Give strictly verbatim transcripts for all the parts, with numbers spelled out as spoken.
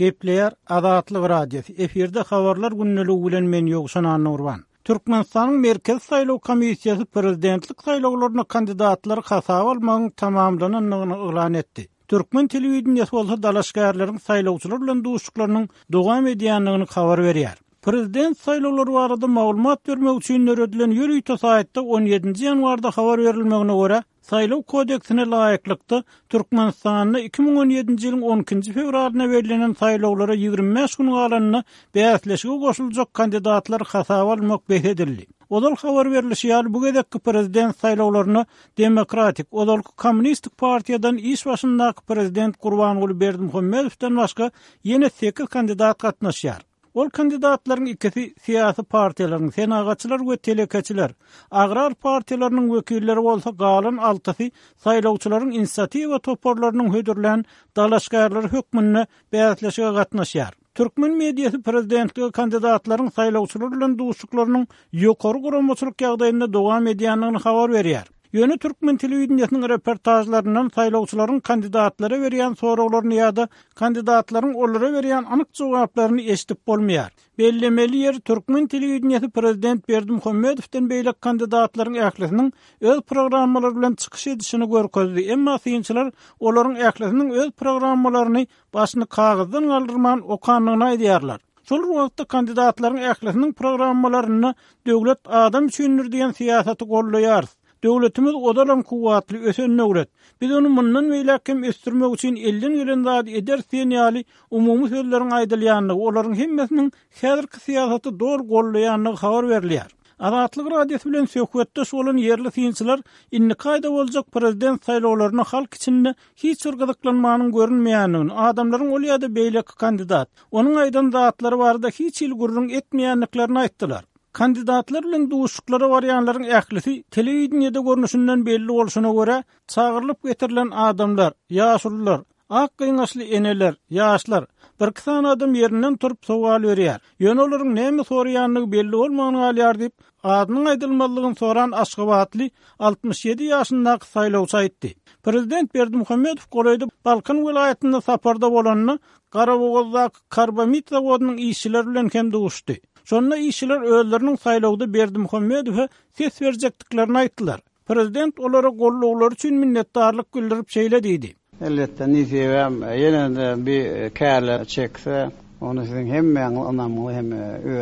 Gepleýär Azatlyk Radiosy. Efirde habarlar gündeligi bilen men Ýowşan Annagurban. Türkmenistanyň Merkezi saýlaw komissiýasy prezidentlik saýlawlaryna kandidatlary hasaba almagyň tamamlanandygyny yglan etdi. Türkmen telewideniýesi bolsa dalaşgärleriň saýlawçylar bilen duşuşyklarynyň dowam edýändigini habar berýär. Prezident saýlawlary barada maglumat bermek üçin döredilen ýörite saýtda on ýedinji ýanwarda habar berilmegine görä, saýlaw kodeksine laýyklykda Türkmenistanda iki müň on ýedinji ýylyň on ikinji fewralynda bellenen saýlawlara ýigrimi bäş gün galanda bäsleşige goşuljak kandidatlar hasaba almak bes edildi. Ozal habar berilişi ýaly bu gezekki prezident saýlawlaryna Demokratik, ozalky Kommunistik partiýadan iş başyndaky prezident Gurbanguly Berdimuhamedowdan başga ýene sekiz kandidat gatnaşýar. Ol kandidatlaryň ikisi syýasy partiýalaryň, senagatçylar we telekeçiler, agrar partiýalarynyň wekilleri bolsa galan altysy saýlawçylaryň inisiatiwa toparlarynyň hödürlän dalaşgärleri hökmünde bäsleşige gatnaşýar. Türkmen mediasy prezidentlige kandidatlaryň saýlawçylar bilen duşuşyklarynyň ýokary guramaçylyk ýagdaýynda dowam edýändigini habar berýär. Ýöne Türkmen telewideniýesiniň reportajlaryndan saýlawçylaryň kandidatlara berýän soraglaryny ýa-da kandidatlaryň olara berýän anyk jogaplaryny eşidip bolmaýar. Bellemeli ýer Türkmen telewideniýesi prezident Berdimuhamedowdan beýleki kandidatlaryň ählisiniň öz programmalary bilen çykyş edişini görkezdi. Emma synçylar olaryň ählisiniň öz programmalaryny başyny kagyzdan galdyrman okandygyny aýdýarlar. Şol wagtda kandidatlaryň ählisiniň programmalarynda döwlet adam üçindir diýen syýasaty gollaýarys. Döwletimiz ozalam kuwwatly ösen döwlet. Biz ony mundan beýläk hem ösdürmek üçin elden gelen zady ederis diýen ýaly umumy sözleriň aýdylýandygy, olaryň hemmesiniň häzirki syýasaty dogry gollaýandygy habar berilýär. Azatlyk Radiosy bilen söhbetdeş bolan ýerli synçylar indiki aýda boljak prezident saýlawlaryna halk içinde hiç bir gyzyklanmanyň görünmeýändigini, adamlaryň ol ýa-da beýleki kandidat, onuň aýdan zatlary barada hiç hili gürrüň etmeýändiklerini aýtdylar. Kandidatlar bilen duşuşyklara barýanlaryň ählisi telewideniýede görnüşinden belli bolşuna görä, çagyrylyp getirilen adamlar, ýaşulular, ak gyňaçly eneler, ýaşlar, bir iki sany adam ýerinden turup sowal berýär. Ýöne olaryň näme soraýandygy belli bolman galýar diýip, adynyň aýdylmazlygyny soran Aşgabatly altmyş ýedi ýaşyndaky saýlawçy aýtdy. Prezident Berdimuhamedow golaýda Balkan welaýatynda saparda bolanda Garabogazdaky karbamid zawodynyň işçileri bilen hem duşdy. Şonda işçiler özleriniň saýlawda Berdimuhamedowa ses berjekdiklerini aýtdylar. Prezident olara gollawlary üçin minnetdarlyk bildirip şeýle diýdi. Elbetde nesibem ýene-de bir kärler çekse, ony siziň hemmäňiz ynamly hem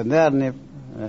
ödärnip,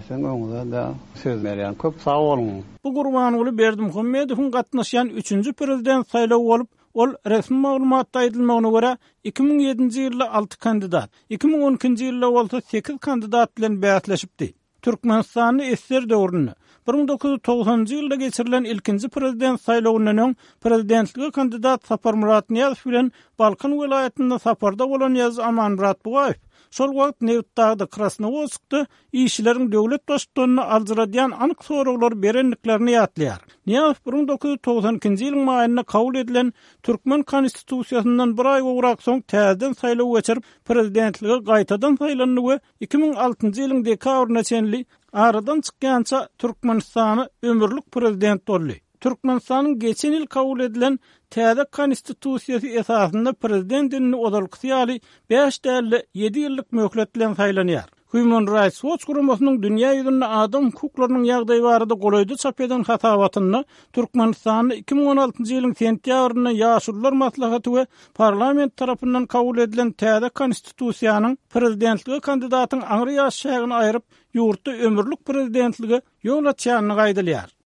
siziň öňüňize de söz berýän. Köp sag boluň. Bu Gurbanguly Berdimuhamedowyň gatnaşýan üçünji prezident saýlawy bolup, ol resmi maglumatda aýdylmagyna görä iki müň ýedinji ýylda alty kandidat, iki müň on ikinji ýylda bolsa sekiz kandidat bilen bäsleşipdi. Türkmenistanda esser döwründe bir müň dokuz ýüz togsanynjy ýylda geçirilen ilkinji prezident saýlawyndan öň prezidentlige kandidat Saparmyrat Nyýazow bilen Balkan welaýatynda saparda bolan ýazyjy Amanmyrat Bugaýew şol wagt Nebitdagda Krasnowodskda işçileriň döwlet baştutanyny aljyradýan anyk soraglary berendiklerini ýatlaýar. Nyýazow bir müň dokuz ýüz togsan ikinji ýylyň maýynda kabul edilen Türkmen konstitusiýasyndan bir aý gowrak soň täzeden saýlaw geçirip, prezidentlige gaýtadan saýlandy we iki müň altynjy ýylyň dekabryna çenli aradan çykýança Türkmenistana ömürlik prezident boldy. Türkmenistanyň geçen ýyl kabul edilen täze konstitusiýasy esasynda prezident indi ozalkysy ýaly bäş däl-de ýedi ýyllyk möhlet bilen saýlanýar. Human Rights Watch guramasynyň dünýä ýüzünde adam hukuklarynyň ýagdaýy barada golaýda çap eden hasabatynda Türkmenistanda iki müň on altynjy ýylyň sentýabrynda Ýaşulular maslahaty we parlament tarapyndan kabul edilen täze konstitusiýanyň prezidentlige kandidatyň aňry ýaş çägini aýryp, ýurtda ömürlik prezidentlige ýol açýandygy aýdylýar.